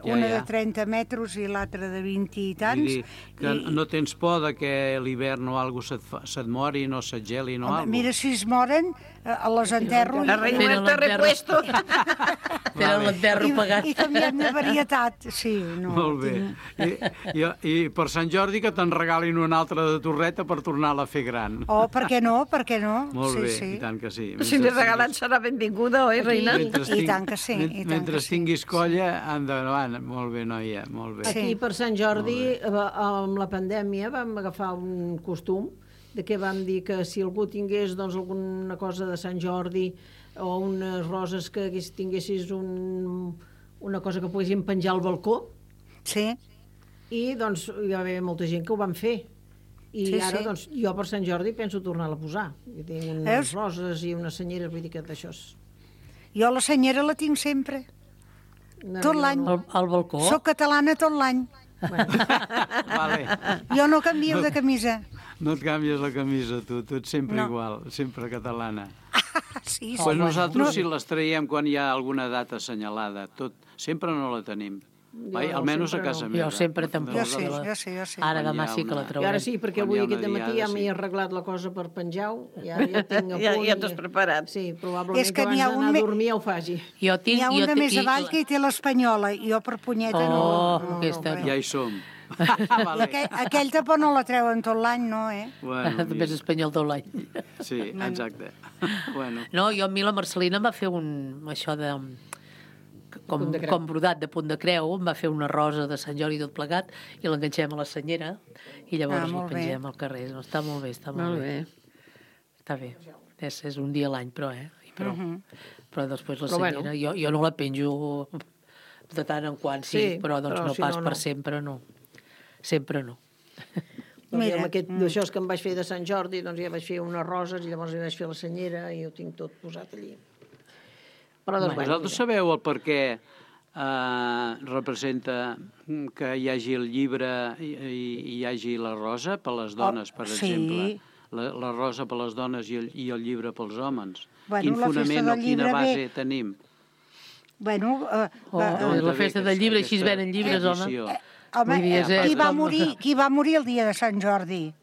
una de 30 metres i l'altra de 20 i tants. Vull dir que no tens por que l'hivern o alguna cosa se't mori, no se't geli, no alguna cosa? Mira, si es moren, les enterro. La reina està repuesto. Tenen l'enterro pagat. I canviem de varietat, sí. Molt bé. I per Sant Jordi que te'n regalin una altra de torreta per tornar-la a fer gran. Oh, per què no? Molt bé, i tant que sí. Si li regalen serà benvinguda, oi, reina? I tant que sí. Mentre tinguis colla, endavant. Molt bé, noia, molt bé. Aquí per Sant Jordi, amb la pandèmia, vam agafar un costum de què vam dir que si algú tingués alguna cosa de Sant Jordi o unes roses que tinguessis una cosa que poguéssim penjar al balcó. Sí. I hi va haver molta gent que ho van fer. I ara, jo per Sant Jordi penso tornar-la a posar. Jo tinc unes roses i unes senyeres, vull dir que d'això és... Jo la senyera la tinc sempre. Tot l'any. Al balcó? Soc catalana tot l'any. Jo no canvio de camisa. No et canvies la camisa, tu ets sempre igual, sempre catalana. Sí. Pues nosaltres si les traiem quan hi ha alguna data assenyalada, sempre no la tenim. Almenys a casa meva. Jo sempre tampoc. Jo sí. Ara demà sí que la trobaré. I ara sí, perquè avui aquest matí ja m'he arreglat la cosa per penjar-ho. Ja tinc a punt. Ja t'has preparat. Sí, probablement que abans d'anar a dormir ja ho faci. Hi ha una més avall que hi té l'Espanyola, i jo per punyeta no. Ja hi som. Aquell tapó no la treuen tot l'any, no, També és espanyol tot l'any. Sí, exacte. No, jo a mi la Marcelina em va fer això de... com brodat de punt de creu, em va fer una rosa de Sant Jordi tot plegat i l'enganxem a la senyera i llavors la pengem al carrer. Està molt bé, està molt bé. Està bé. És un dia a l'any, però després la senyera, jo no la penjo de tant en quant, sí, però no pas per sempre, no. Sempre no. Mira, amb això que em vaig fer de Sant Jordi, ja vaig fer unes roses i llavors hi vaig fer la senyera i ho tinc tot posat allí. Vosaltres sabeu el per què representa que hi hagi el llibre i hi hagi la rosa per les dones, per exemple? La rosa per les dones i el llibre pels homes. Quin fonament o quina base tenim? La festa del llibre, així es venen llibres, home. Home, qui va morir el dia de Sant Jordi?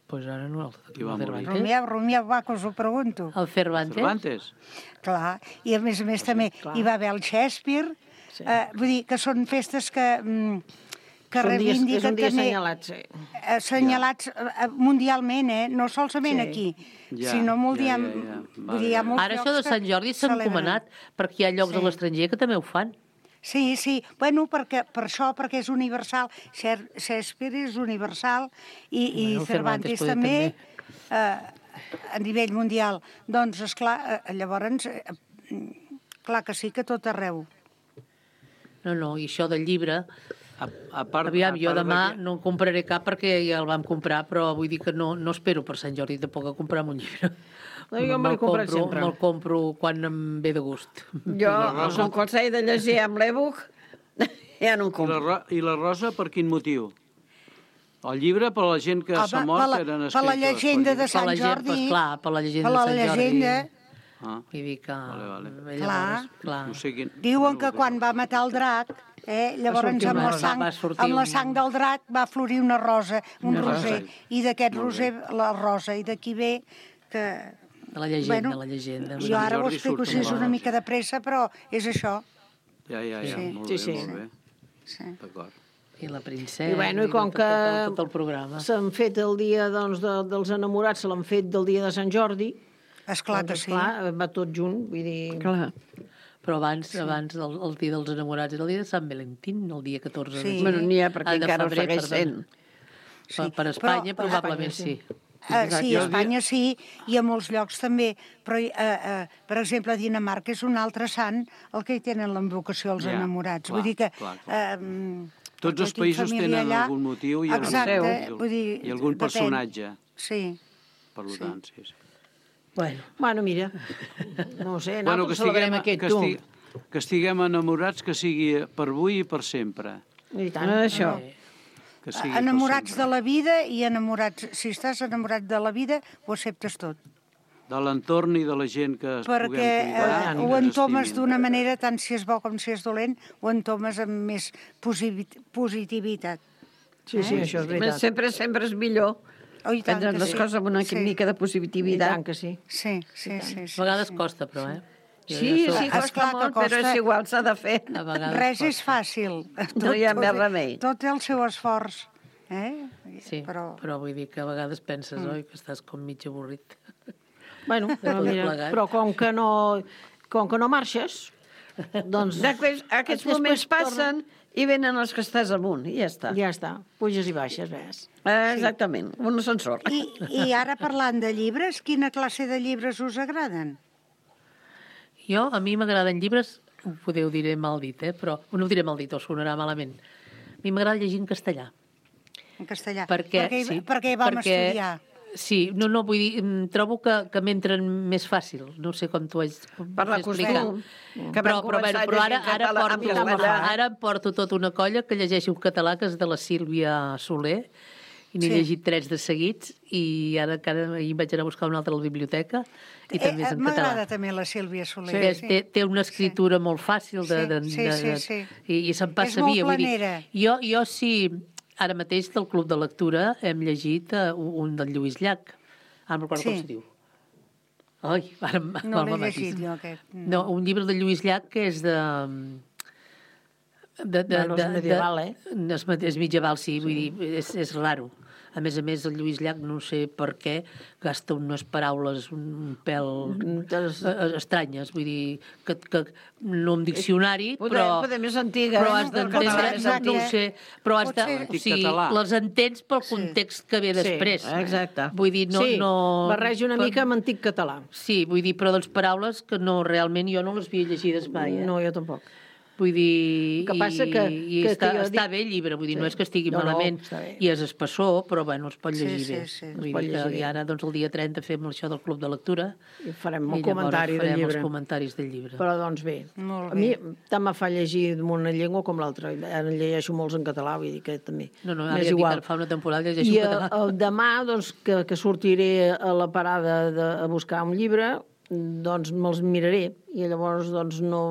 Pues ara no, el Cervantes. Romieu, va, que us ho pregunto. El Cervantes? Clar, i a més hi va haver el Shakespeare. Vull dir que són festes que reivindiquen... És un dia assenyalats, assenyalats mundialment, no solament aquí, sinó mundialment. Ara això de Sant Jordi s'ha encomanat, perquè hi ha llocs a l'estranger que també ho fan. Sí. Bueno, per això, perquè és universal. Shakespeare és universal i Cervantes també a nivell mundial. Doncs, esclar, llavors, clar que sí, que tot arreu. No, i això del llibre... Aviam, jo demà no en compraré cap perquè ja el vam comprar, però vull dir que no espero per Sant Jordi tampoc a comprar-me un llibre. Jo me l'he comprat sempre. Me'l compro quan em ve de gust. Jo, com quan s'ha de llegir amb l'e-book, ja no en compro. I la Rosa per quin motiu? El llibre per la gent que s'ha mort eren escrits... Per la llegenda de Sant Jordi. Esclar, per la llegenda de Sant Jordi. Vull dir que... Clar. Diuen que quan va matar el drac, llavors amb la sang del drac va florir una rosa, un roser, i d'aquest roser la rosa, i d'aquí ve que... De la llegenda. Jo ara ho explico si és una mica de pressa, però és això. Ja, molt bé. D'acord. I la princesa... I com que tot el programa. s'han fet el dia dels enamorats, se l'han fet del dia de Sant Jordi. Esclar que sí. Va tot junt, vull dir... Clar. Però abans el dia dels enamorats era el dia de Sant Valentín, el dia 14 de Bueno, n'hi ha perquè encara ho segueix sent. Per Espanya probablement sí. Sí, a Espanya sí, i a molts llocs també. Però, per exemple, a Dinamarca és un altre sant el que hi tenen l'invocació als enamorats. Vull dir que... Tots els països tenen algun motiu i algun personatge. Sí. Per tant, sí. Bueno, mira, no ho sé, nosaltres celebrem aquest tu. Que estiguem enamorats, que sigui per avui i per sempre. I tant, això. Enamorats de la vida i enamorats... Si estàs enamorat de la vida, ho acceptes tot. De l'entorn i de la gent que es puguem cuidar. Perquè ho entomes d'una manera, tant si és bo com si és dolent, ho entomes amb més positivitat. Sí, això és veritat. Sempre és millor. Prendre les coses amb una mica de positivitat. I tant que sí. Sí. A vegades costa, però, Sí, costa molt, però és igual, s'ha de fer. Res és fàcil. No hi ha més remei. Tot té el seu esforç. Sí, però vull dir que a vegades penses, oi, que estàs com mig avorrit. Bueno, però com que no marxes, doncs... Aquests moments passen i venen els que estàs amunt, i ja està. Ja està, puges i baixes, ves. Exactament, un ascensor. I ara parlant de llibres, quina classe de llibres us agraden? A mi m'agraden llibres, ho podeu dir mal dit, però no ho diré mal dit, o sonarà malament. A mi m'agrada llegir en castellà. En castellà? Perquè vam estudiar. Sí, no, vull dir, trobo que m'entren més fàcil. No sé com t'ho haig per la costum. Però ara porto tota una colla que llegeixo en català, que és de la Sílvia Soler, i n'he llegit 3 de seguits, i ara ahir vaig anar a buscar una altra a la biblioteca, i també és en català. M'agrada també la Sílvia Soler. Té una escritura molt fàcil i se'n passa via. És molt planera. Jo sí... Ara mateix del Club de Lectura hem llegit un del Lluís Llach. Ara no recordo com se diu. No l'he llegit jo, aquest. No, un llibre de Lluís Llach que és de... És medieval, És medieval, sí, vull dir, és raro. A més, el Lluís Llach, no sé per què, gasta unes paraules un pèl estranyes. Vull dir, que no en diccionari, però més antiga. Però has d'entendre, no ho sé, però has de... O sigui, les entens pel context que ve després. Exacte. Vull dir, no... Sí, barreja una mica amb antic català. Sí, vull dir, però doncs paraules que no, realment, jo no les havia llegides mai. No, jo tampoc. Vull dir... Que passa està bé el llibre, vull dir, no és que estigui malament, i és espessor, però bueno, es pot llegir bé. Vull dir que ara, doncs, el dia 30 fem això del Club de Lectura. I farem el comentari del llibre. Els comentaris del llibre. Però, doncs, bé. A mi tant me fa llegir una llengua com l'altra. Ara llegeixo molts en català, vull dir que també. No, ara ja dic, fa una temporada llegeixo en català. I demà, doncs, que sortiré a la parada a buscar un llibre, doncs me'ls miraré. I llavors, doncs, no...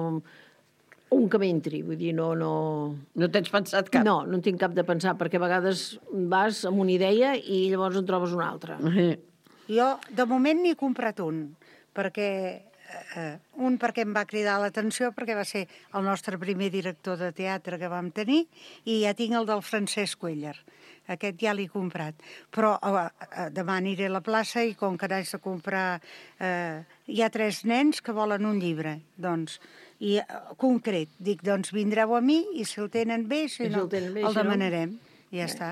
Un que m'entri, vull dir, no... No tens pensat cap? No en tinc cap de pensar, perquè a vegades vas amb una idea i llavors en trobes una altra. Jo, de moment, n'he comprat un, perquè un perquè em va cridar l'atenció, perquè va ser el nostre primer director de teatre que vam tenir, i ja tinc el del Francesc Cuéllar. Aquest ja l'he comprat. Però demà aniré a la plaça i com que n'haig de comprar... hi ha 3 nens que volen un llibre, doncs, i concret. Dic, doncs vindreu a mi i si el tenen bé, si no, el demanarem. I ja està.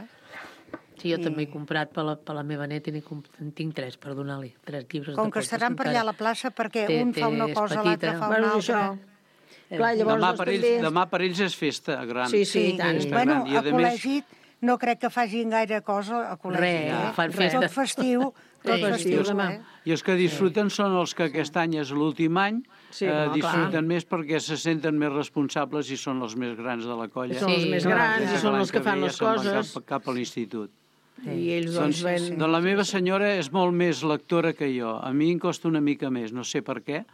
Sí, jo també he comprat per la meva neta i en tinc 3 per donar-li, 3 llibres. Com que estaran per allà a la plaça perquè un fa una cosa, l'altre fa una altra. Demà per ells és festa gran. Sí, tant. Bueno, a col·legi no crec que facin gaire cosa a col·legi. Fan festa. Tot festiu. I els que disfruten són els que aquest any és l'últim any, disfruten més perquè se senten més responsables i són els més grans de la colla. Són els més grans i són els que fan les coses. Cap a l'institut. I ells doncs ven... Doncs la meva senyora és molt més lectora que jo. A mi em costa una mica més, no sé per què.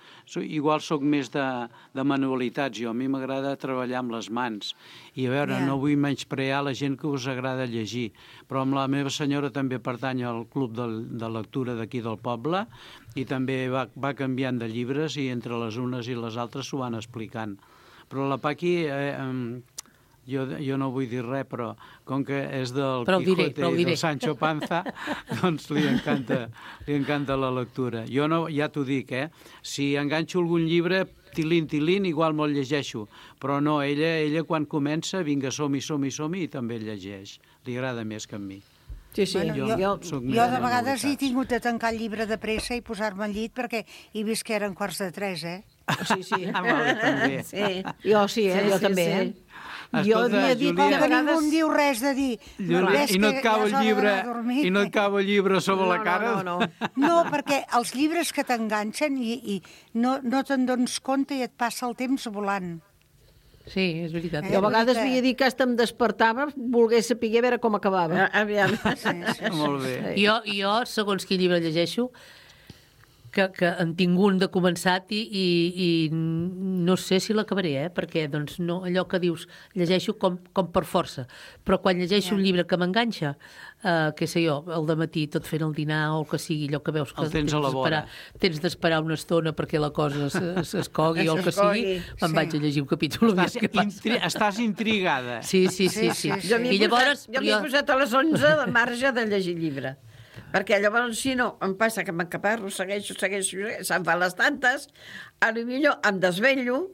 Igual sóc més de manualitats jo. A mi m'agrada treballar amb les mans. I a veure, no vull menysprear la gent que us agrada llegir, però amb la meva senyora també pertany al club de lectura d'aquí del poble i també va canviant de llibres i entre les unes i les altres s'ho van explicant. Però la Paqui... Jo no vull dir res, però com que és del Quijote i del Sancho Panza, doncs li encanta la lectura. Jo no, ja t'ho dic, si enganxo algun llibre, tilín, igual me'l llegeixo, però no, ella quan comença, vinga, som-hi, i també llegeix. Li agrada més que a mi. Sí, jo de vegades he tingut de tancar el llibre de pressa i posar-me al llit perquè he vist que eren 2:45, Sí. També. Jo també, Jo havia dit que ningú em diu res de dir. I no et cau el llibre sobre la cara? No, perquè els llibres que t'enganxen i no te'n dones compte i et passa el temps volant. Sí, és veritat. Jo a vegades havia dit que hasta em despertava, volgués saber a veure com acabava. Aviam. Molt bé. Jo, segons quin llibre llegeixo, que en tinc un de començat i no sé si l'acabaré, perquè doncs, no, allò que dius, llegeixo com per força, però quan llegeixo un llibre que m'enganxa, què sé jo, el dematí tot fent el dinar o el que sigui, allò que veus que tens d'esperar una estona perquè la cosa s'escogui o el que sigui, me'n vaig a llegir un capítol. Estàs intrigada. Sí. Jo m'he posat a les 11 de marge de llegir llibre. Perquè llavors, si no, em passa que m'encaparro, segueixo, se'n fan les tantes, potser em desvello,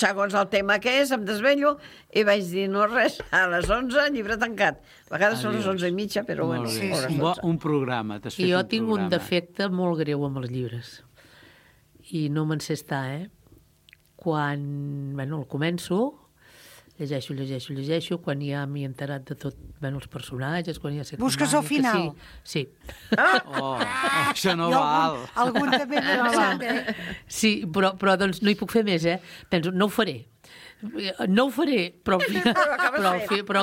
segons el tema que és, em desvello, i vaig dir, no res, a les 11, llibre tancat. A vegades són les 11:30, però bueno. Un programa, t'has fet un programa. Jo tinc un defecte molt greu amb els llibres. I no me'n sé estar, Quan, el començo, llegeixo, quan ja m'he enterat de tot, els personatges, quan ja sé... Busques al final? Sí. Això no val. Algun també m'ha passat, Sí, però doncs no hi puc fer més, Penso, no ho faré. No ho faré, però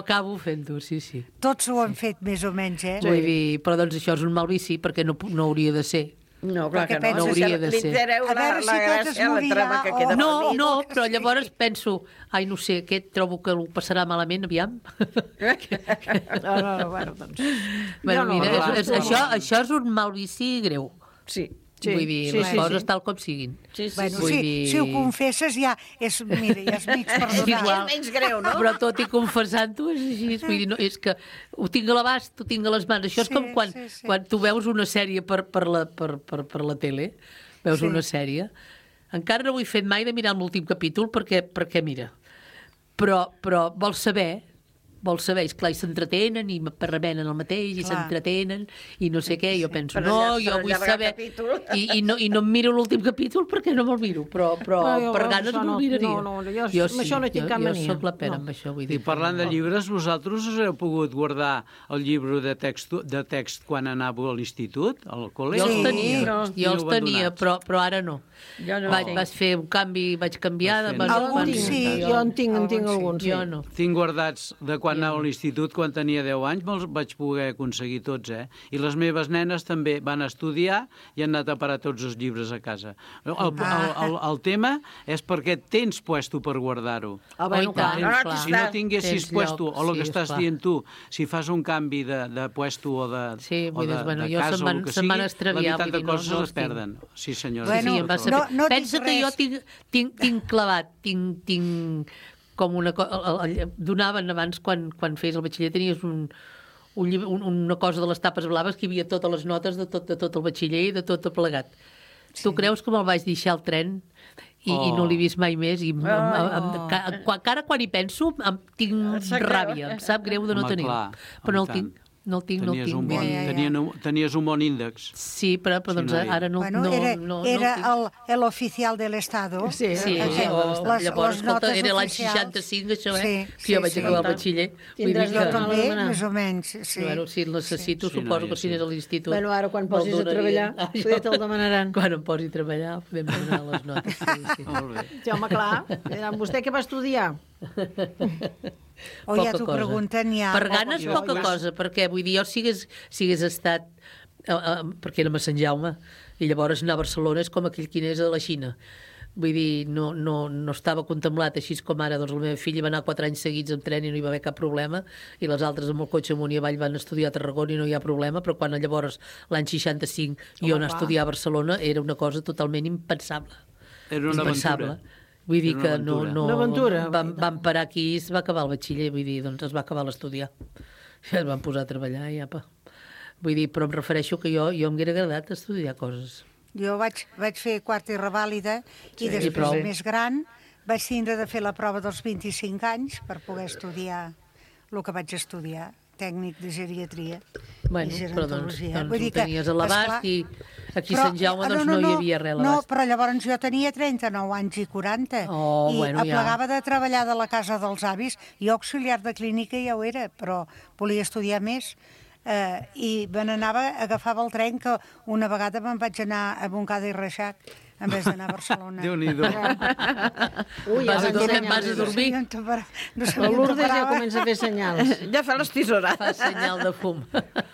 acabo fent-ho, sí. Tots ho han fet més o menys, Vull dir, però doncs això és un mal vici, perquè no hauria de ser. No, clar que no hauria de ser. A veure si tots es morirà. No, però llavors penso, no sé, aquest trobo que ho passarà malament, aviam. Bueno, doncs... Mira, això és un mal vici greu. Sí. Vull dir, les coses tal com siguin. Si ho confesses ja és mig perdonat. És menys greu, no? Però tot i confessant-ho és així. Vull dir, és que ho tinc a l'abast, ho tinc a les mans. Això és com quan tu veus una sèrie per la tele, veus una sèrie. Encara no ho he fet mai de mirar l'últim capítol perquè mira. Però vols saber, és clar, i s'entretenen i revenen el mateix i s'entretenen i no sé què, jo penso, jo vull saber i no em miro l'últim capítol perquè no me'l miro, però per ganes me'l miraria. Jo soc la pera amb això, vull dir. I parlant de llibres, vosaltres us heu pogut guardar el llibre de text quan anàveu a l'institut, al col·legi? Jo els tenia, però ara no. Vaig fer un canvi, vaig canviar... Alguns sí, jo en tinc alguns. Jo no. Tinc guardats de quan anava a l'institut, quan tenia 10 anys, me'ls vaig poder aconseguir tots, I les meves nenes també van estudiar i han anat a parar tots els llibres a casa. El tema és perquè tens puesto per guardar-ho. Si no tinguessis puesto, o el que estàs dient tu, si fas un canvi de puesto o de casa o el que sigui, la meitat de coses les perden. Sí, senyora. Pensa que jo tinc clavat, tinc com una cosa... Donaven abans, quan feies el batxiller, tenies una cosa de les tapes blaves que hi havia totes les notes de tot el batxiller i de tot plegat. Tu creus que me'l vaig deixar al tren i no l'he vist mai més? Encara quan hi penso tinc ràbia, em sap greu de no tenir-ho. Però no el tinc. No el tinc. Tenies un bon índex. Sí, però doncs ara no... Era l'oficial de l'Estado. Sí. Llavors, escolta, era l'any 65, això, que jo vaig acabar el batxiller. Jo també, més o menys, sí. Bueno, si el necessito, suposo que si anés a l'institut... Bueno, ara quan posis a treballar, ja te'l demanaran. Quan em posi a treballar, podem demanar les notes. Molt bé. Sí, home, clar. Vostè què va estudiar? Ja t'ho pregunten ja. Per ganes poca cosa, perquè vull dir, jo si hagués estat perquè érem a Sant Jaume i llavors anar a Barcelona és com aquell qui anés a la Xina, vull dir, no estava contemplat així com ara. Doncs la meva filla va anar 4 anys seguits en tren i no hi va haver cap problema, i les altres amb el cotxe amunt i avall van estudiar a Tarragona i no hi ha problema, però quan llavors l'any 65 jo anar a estudiar a Barcelona era una cosa totalment impensable. Era una aventura. Vull dir que no vam parar aquí i es va acabar el batxiller, vull dir, doncs es va acabar l'estudiar. I es van posar a treballar i apa. Vull dir, però em refereixo que jo m'hauria agradat estudiar coses. Jo vaig fer quart i revàlida i després, més gran, vaig tindre de fer la prova dels 25 anys per poder estudiar el que vaig estudiar, tècnic de geriatria i gerontologia. Doncs ho tenies a l'abast i aquí a Sant Jaume no hi havia res a l'abast. No, però llavors jo tenia 39 anys i 40 i aplegava de treballar de la casa dels avis. Jo auxiliar de clínica ja ho era, però volia estudiar més. I me n'anava, agafava el tren, que una vegada me'n vaig anar a Montcada i Reixac en vez d'anar a Barcelona. Déu-n'hi-do. Vas a dormir? La Lourdes ja comença a fer senyals. Ja fa les tisores. Fa senyal de fum.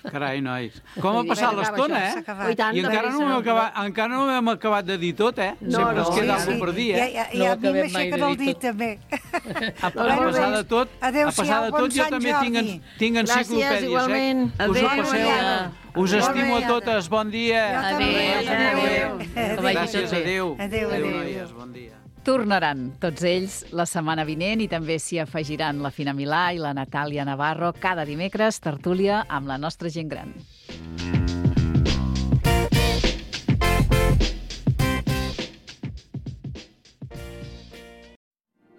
Carai, nois. Com ha passat l'estona, I encara no hem acabat de dir tot, Sempre es queda alguna per dir, I a mi m'aixequen el dit, també. A passar de tot, jo també tinc enciclopèdies. Gràcies, igualment. Us estimo a totes. Bon dia. Adéu. Gràcies, adéu. Adéu, noies, bon dia. Tornaran tots ells la setmana vinent i també s'hi afegiran la Fina Milà i la Natàlia Navarro cada dimecres, tertúlia amb la nostra gent gran.